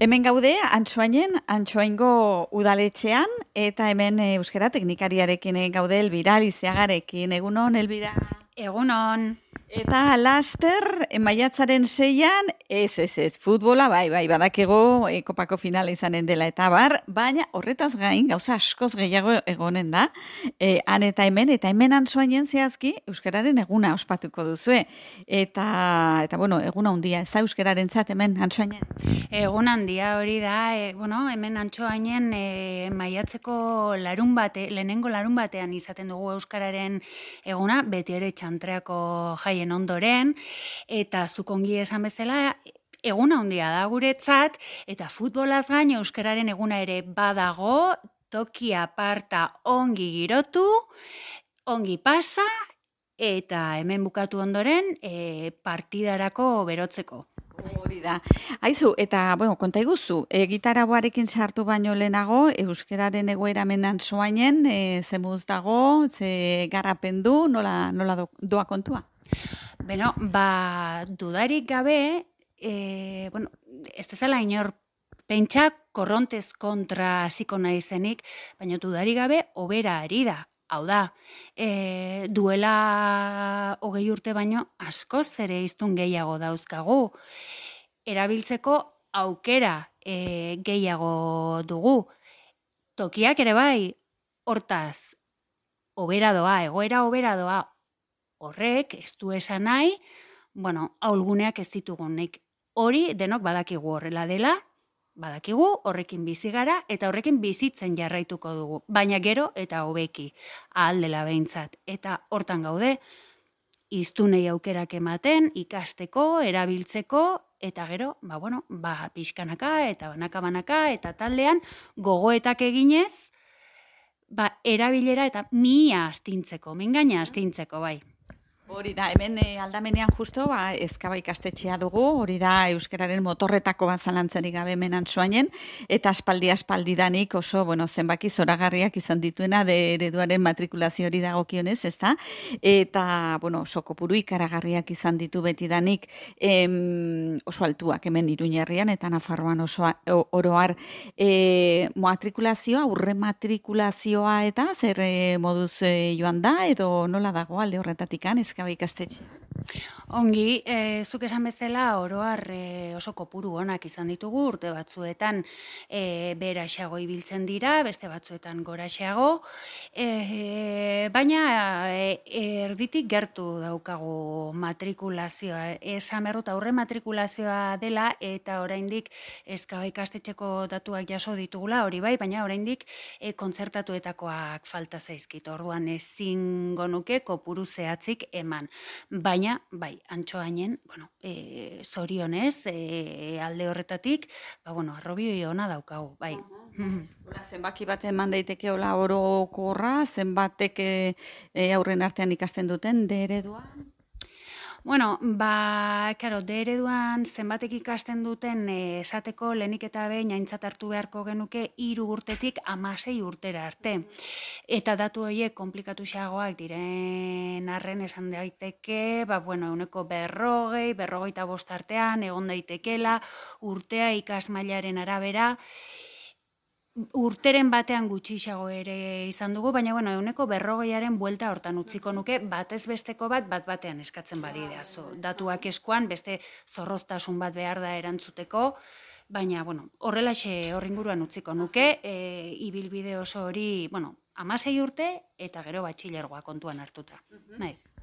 Hemen gaude, Antsoaingo udaletxean, eta hemen euskara teknikariarekin gaude Elbira Lizeagarekin. Egunon, Elbira? Egunon. Eta laster, maiatzaren 6an, ez, futbola, bai, badakigu kopako finala izanen dela eta bar, baina horretaz gain, gauza askoz gehiago egonen da, han eta hemen Antsoainen zehazki, euskararen eguna ospatuko duzue. Eta bueno, eguna handia, ez da euskararentzat hemen Antsoainen? Egun handia hori da, hemen Antsoainen maiatzeko lehenengo larun batean izaten dugu euskararen eguna, beti ere txantreako jaien ondoren, eta zuk ongi esan bezala, eguna handia da guretzat, eta futbolaz gain euskararen eguna ere badago, toki aparta ongi girotu, ongi pasa, eta hemen bukatu ondoren partidarako berotzeko. Hori da. Aizu, eta, konta iguzu, gitarauarekin sartu baino lehenago, euskararen egoera hemen Antsoainen, ze muz dago, ze garapen du, nola doa kontua? Beno, dudarik gabe, ez dezala inor pentsa korrontez kontra hasiko naizenik, baina dudarik gabe hobera ari da. Hau da, duela 20 urte baino askoz ere hiztun gehiago dauzkagu. Erabiltzeko aukera gehiago dugu. Tokiak ere bai, hortaz, egoera hobera doa. Horrek, ez du esan nahi, ahulguneak ez ditugunik. Hori denok badakigu horrela dela, badakigu horrekin bizi gara eta horrekin bizitzen jarraituko dugu. Baina gero eta hobeki, ahal dela behintzat. Eta hortan gaude, hiztunei aukerak ematen, ikasteko, erabiltzeko, eta gero, pixkanaka eta banaka eta taldean gogoetak eginez, erabilera eta mingaina astintzeko, bai. Hori da, hemen aldamenean justo, ezkaba ikastetxea dugu, hori da euskararen motorretako bat zalantzarik gabe hemen Antsoainen, eta aspaldidanik oso, zenbaki zoragarriak izan dituena de ereduaren matrikulazio hori dagokionez, ezta? Eta, oso kopuru ikaragarriak izan ditu betidanik oso altuak hemen Iruñerrian, eta Nafarroan oso oroar matrikulazioa, aurre matrikulazioa, eta zer moduz joan da, edo nola dago alde horretatikan, ezkaba ikastetxe? Ongi, zuk esan bezala oroar oso kopuru onak izan ditugu, urte batzuetan beheraxeago ibiltzen dira, beste batzuetan goraxeago, baina erditik gertu daukagu matrikulazioa. Esan berrut aurre matrikulazioa dela eta oraindik ezkaba ikastetxeko datuak jaso ditugula, hori bai, baina oraindik kontzertatuetakoak falta zaizkit. Orduan ezingo nuke kopuru zehatzik eman. Baina, bai, Antsoainen, zorionez, alde horretatik, arrobioi ona daukagu, bai. Zenbaki bat eman daiteke hola orokorra, zenbatek aurren artean ikasten duten, de ereduan? De ereduan zenbatek ikasten duten esateko lehenik eta behin aintzat hartu beharko genuke 3 urtetik 16 urtera arte. Eta datu horiek konplikatuxeagoak diren arren esan daiteke, 40-45 artean egon daitekela, urtea ikasmailaren arabera, urteren batean gutxixago ere izan dugu, baina 40aren buelta hortan utziko nuke, batez besteko batean eskatzen badidea. Datuak eskuan, beste zorroztasun bat behar da erantzuteko, baina horrelaxe horringuruan utziko nuke, ibilbide oso hori, 16 urte eta gero batxilergoa kontuan hartuta.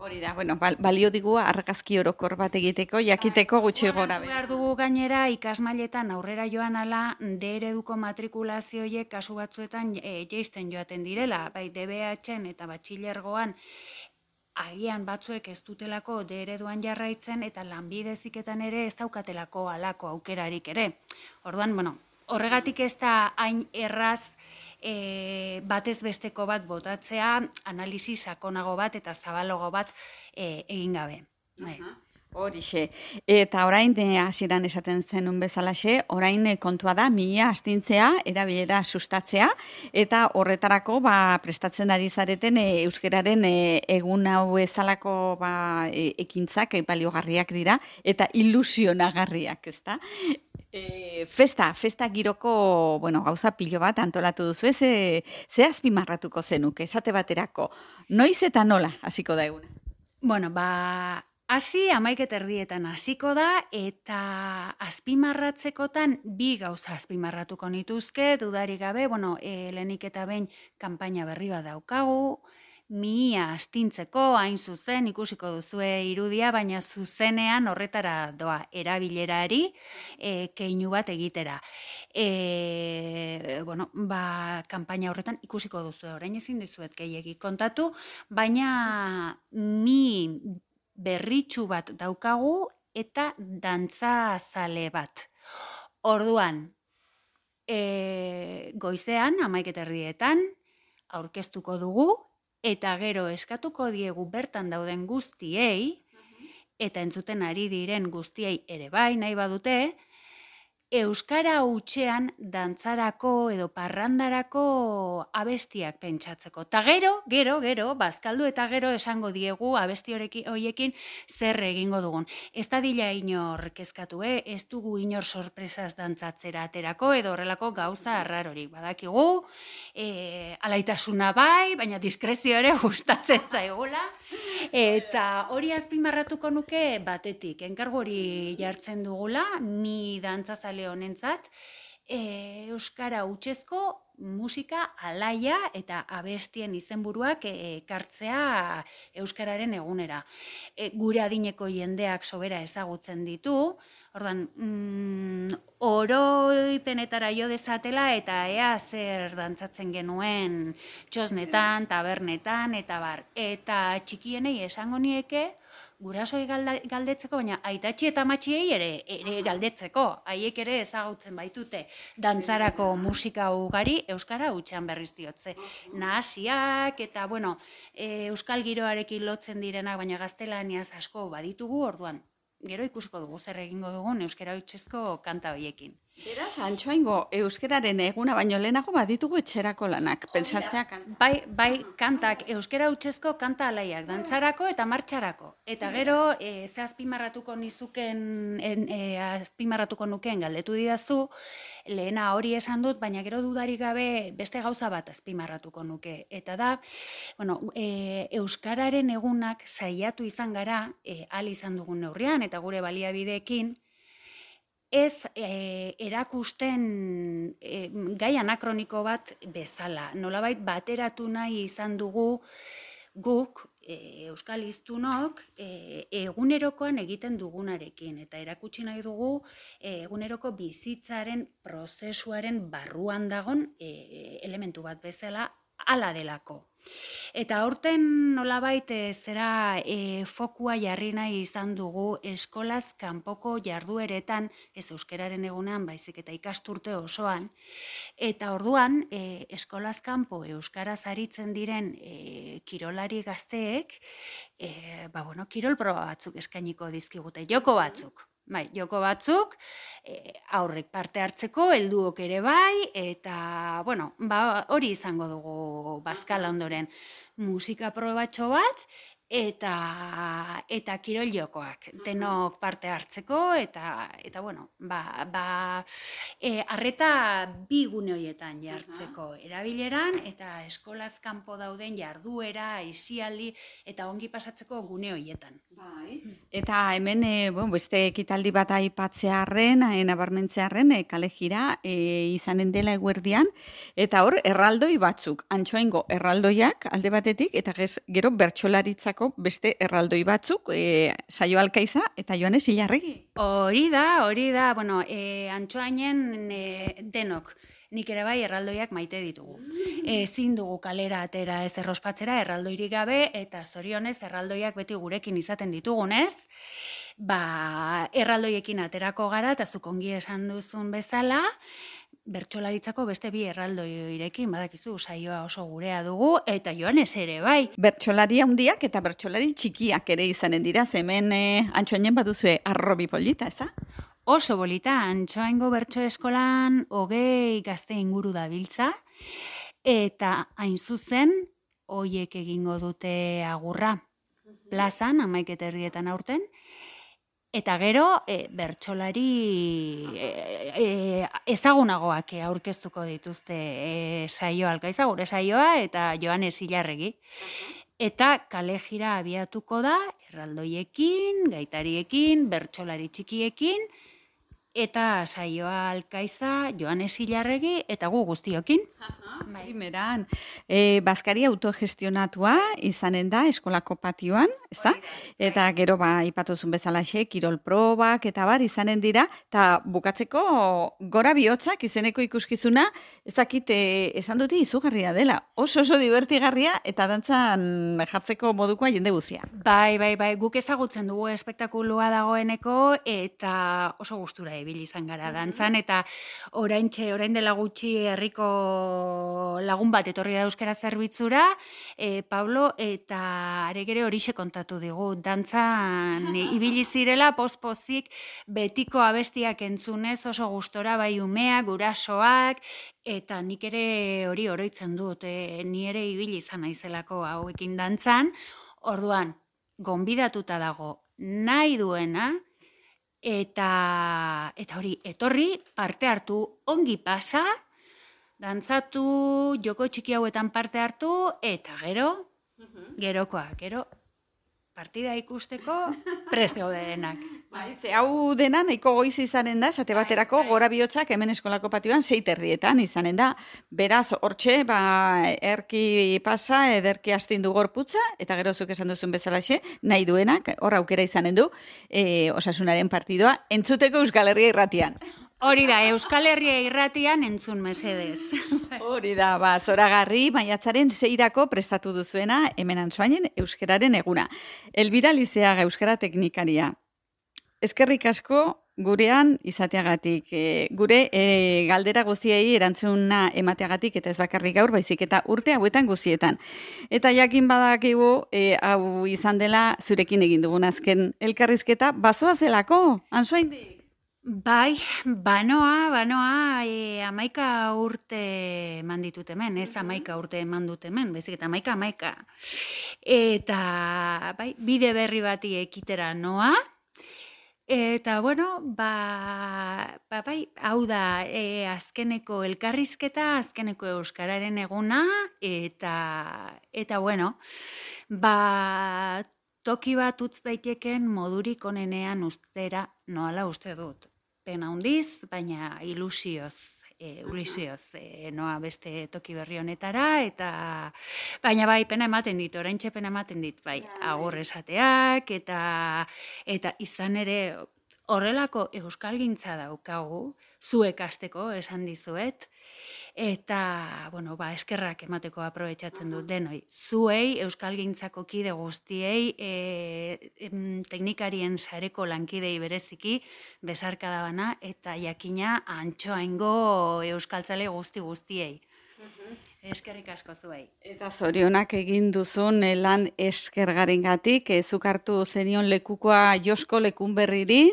Hori da, balio digu argazki orokor bat egiteko, jakiteko gutxi gora. Behar dugu gainera ikasmailetan aurrera joan ala D ereduko matrikulazioiek kasu batzuetan jeisten joaten direla, bai DBH-en eta batxilergoan agian batzuek ez dutelako D ereduan jarraitzen eta lanbide heziketan ere ez daukatelako halako aukerarik ere. Orduan, horregatik ez da hain erraz batez besteko bat botatzea, analisi sakonago bat eta zabalago bat egin gabe. Horixe. Eta orain hasieran esaten zenun bezalaxe, orain kontua da mihia astintzea, erabilera sustatzea eta horretarako prestatzen ari zareten euskararen egun hau ezalako ekintzak baliogarriak dira eta ilusionagarriak, ezta? Festa giroko, gauza pilo bat antolatu duzu, ze azpimarratuko zenuke, esate baterako, noiz eta nola hasiko da eguna? Bueno, hasi 11:00 hasiko da eta azpimarratzekotan bi gauza azpimarratuko nituzke, dudarik gabe, lehenik eta behin kanpaina berri bat daukagu, mihia astintzeko, hain zuzen, ikusiko duzue irudia, baina zuzenean horretara doa erabilerari keinu bat egitera. Kanpaina horretan ikusiko duzue, orain ezin dizuet gehiegi kontatu, baina mi berritxu bat daukagu eta dantza zale bat. Orduan, goizean, 11:30 aurkeztuko dugu, eta gero eskatuko diegu bertan dauden guztiei, eta entzuten ari diren guztiei ere bai nahi badute, euskara hutsean dantzarako edo parrandarako abestiak pentsatzeko. Ta gero, bazkaldu eta gero esango diegu abesti horiekin zer egingo dugun. Ez da dila inor kezkatu, ez dugu inor sorpresaz dantzatzera aterako edo horrelako gauza arrarorik. Badakigu, alaitasuna bai, baina diskrezio ere gustatzen zaigula. Eta hori azpimarratuko nuke batetik, enkargu hori jartzen dugula, mi dantzazale honentzat, euskara hutsezko musika alaia eta abestien izenburuak ekartzea euskararen egunera. Gure adineko jendeak sobera ezagutzen ditu, ordan, oroipenetara jo dezatela eta ea zer dantzatzen genuen txosnetan, tabernetan, eta bar. Eta txikienei esango nieke, gurasoi galdetzeko, baina aitatxi eta amatxiei ere galdetzeko. Haiek ere ezagutzen baitute dantzarako musika ugari euskara hutsean berriz diotze. Nahasiak eta, euskal giroarekin lotzen direnak, baina gaztelaniaz asko baditugu, orduan. Gero ikusiko dugu zer egingo dugun euskara hutsezko kanta horiekin. Beraz, Antxoaingo euskararen eguna baino lehenago baditugu etxerako lanak, pentsatzea kanta. Bai, kantak, euskara hutsezko kanta alaiak, dantzarako eta martxarako. Eta gero, ze azpimarratuko nukeen galdetu didazu, lehena hori esan dut, baina gero dudarik gabe beste gauza bat azpimarratuko nuke. Eta da, euskararen egunak saiatu izan gara, ahal izan dugun neurrian, eta gure baliabideekin, ez erakusten gai anakroniko bat bezala. Nolabait bateratu nahi izan dugu guk, euskal hiztunok, egunerokoan egiten dugunarekin. Eta erakutsi nahi dugu eguneroko bizitzaren prozesuaren barruan dagon elementu bat bezala hala delako. Eta aurten nolabait fokua jarri nahi izan dugu eskolaz kanpoko jardueretan, ez euskararen egunean, baizik eta ikasturte osoan, eta orduan eskolaz kanpo euskaraz aritzen diren kirolari gazteek, kirol proba batzuk eskainiko dizkigute, joko batzuk. Bai, joko batzuk, aurrek parte hartzeko, helduok ere bai, eta, hori izango dugu bazkala ondoren musika probatxo bat, eta kirol jokoak, denok parte hartzeko, eta arreta bi gune horietan jartzeko erabileran, eta eskolaz kanpo dauden jarduera, aisialdi, eta ongi pasatzeko gune horietan. Eta hemen, beste ekitaldi bat aipatzearren, nabarmentzearren, kale jira izanen dela eguerdian, eta hor, erraldoi batzuk, Antxoaingo erraldoiak alde batetik, eta gero bertsolaritzako beste erraldoi batzuk, Saio Alkaiza eta Joanes Ilarregi. Hori da, Antxoainen denok. Nik ere bai erraldoiak maite ditugu. Ezin dugu kalera atera ez errospatzera erraldoirik gabe, eta zorionez erraldoiak beti gurekin izaten ditugunez, erraldoiekin aterako gara, eta zuk ongi esan duzun bezala, bertsolaritzako beste bi erraldoirekin, badakizu, saioa oso gurea dugu, eta Joanes ere, bai. Bertsolari handiak eta bertsolari txikiak ere izanen dira, hemen Antsoainen baduzue arrobi polita, ez da? Oso bolita, Antsoaingo bertso eskolan 20 gazte inguru dabiltza, eta hain zuzen, hoiek egingo dute agurra plazan, 11:30 aurten, eta gero bertsolari ezagunagoak aurkeztuko dituzte saioa Alkaiza, gure saioa, eta Joanes Ilarregi. Eta kale jira abiatuko da, erraldoiekin, gaitariekin, bertsolari txikiekin, eta saioa Alkaiza, Joanes Ilarregi, eta gu guztiokin. Primeran, bazkari autogestionatua izanen da eskolako patioan, ez da? Eta gero ipatuzun bezalaxe, kirol probak eta bar izanen dira, eta bukatzeko gora bihotzak izeneko ikuskizuna, ez dakit esan dute izugarria dela. Oso divertigarria eta dantzan jartzeko modukoa jende guzia. Bai, guk ezagutzen dugu espektakulua dagoeneko, eta oso gustura ibili izan gara dantzan, eta orain dela gutxi herriko lagun bat etorri da euskara zerbitzura, Pablo, eta aregere horixe kontatu digu. Dantzan ibili zirela pospozik betiko abestiak entzunez oso gustora, bai umeak, gurasoak, eta nik ere hori oroitzen dut, ni ere ibili izan naizelako hauekin dantzan. Orduan, gonbidatuta dago nahi duena, eta hori, etorri, parte hartu, ongi pasa, dantzatu, joko txiki hauetan parte hartu, eta gero partida ikusteko prest gaude denak. Hau dena nahiko goiz izanen da, esate baterako gora bihotzak hemen eskolako patioan 6:30 izanen da. Beraz, hortxe, erki pasa, ederki astindu gorputza, eta gero zuk esan duzun bezalaxe, nahi duenak, hor aukera izanen du, Osasunaren partidoa, entzuteko Euskal Herria Irratian. Hori da, Euskal Herria Irratian entzun mesedez. Hori da, zoragarri maiatzaren 6 prestatu duzuena hemen Antsoainen euskararen eguna. Elbira Lizeaga euskara teknikaria. Eskerrik asko gurean izateagatik, gure galdera guztiei erantzuna emateagatik, eta ez bakarrik gaur, baizik eta urte hauetan guztietan. Eta jakin badakigu, hau izan dela zurekin egin dugun azken elkarrizketa, bazoa zelako, Antsoaindik? Bai, banoa, 11 urte eman ditut hemen, ez 11 urte eman dut hemen, bezik eta 11. Eta, bai, bide berri bati ekitera noa, eta, bueno, bai, hau da azkeneko elkarrizketa, azkeneko euskararen eguna, eta bueno, toki bat utz daiteken modurik onenean ustera noala uste dut. Pena handiz, baina ilusioz, noa beste toki berri honetara, eta baina bai, pena ematen dit, oraintxe pena ematen dit, bai, agur esateak, eta izan ere horrelako euskalgintza daukagu, zuek hasteko esan dizuet, eta, bueno, eskerrak emateko aprobetxatzen dut denoi. Zuei, euskalgintzako kide guztiei, teknikarien sareko lankidei bereziki, besarkada bana, eta jakina Antsoaingo euskaltzale guztiei. Eskerrik asko zuei. Eta zorionak egin duzun lan eskergarengatik, zuk hartu zenion lekukoa Josko Lekunberriri,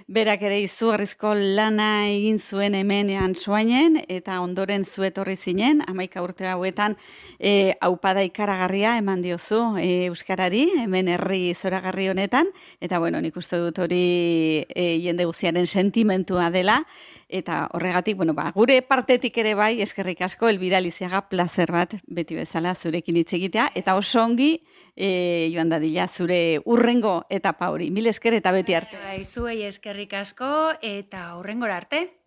berak ere izugarrizko lana egin zuen hemen Antsoainen, eta ondoren zu etorri zinen, 11 urte hauetan aupada ikaragarria eman diozu euskarari, hemen herri zoragarri honetan, eta bueno, nik uste dut hori jende guztiaren sentimentua dela, eta horregatik, bueno, gure partetik ere bai, eskerrik asko, Elbira Lizeaga, plazer bat beti bezala zurekin hitz egitea, eta oso ongi joan dadila zure urrengo etapa hori. Mil esker eta beti arte. Zuei eskerrik asko eta urrengora arte.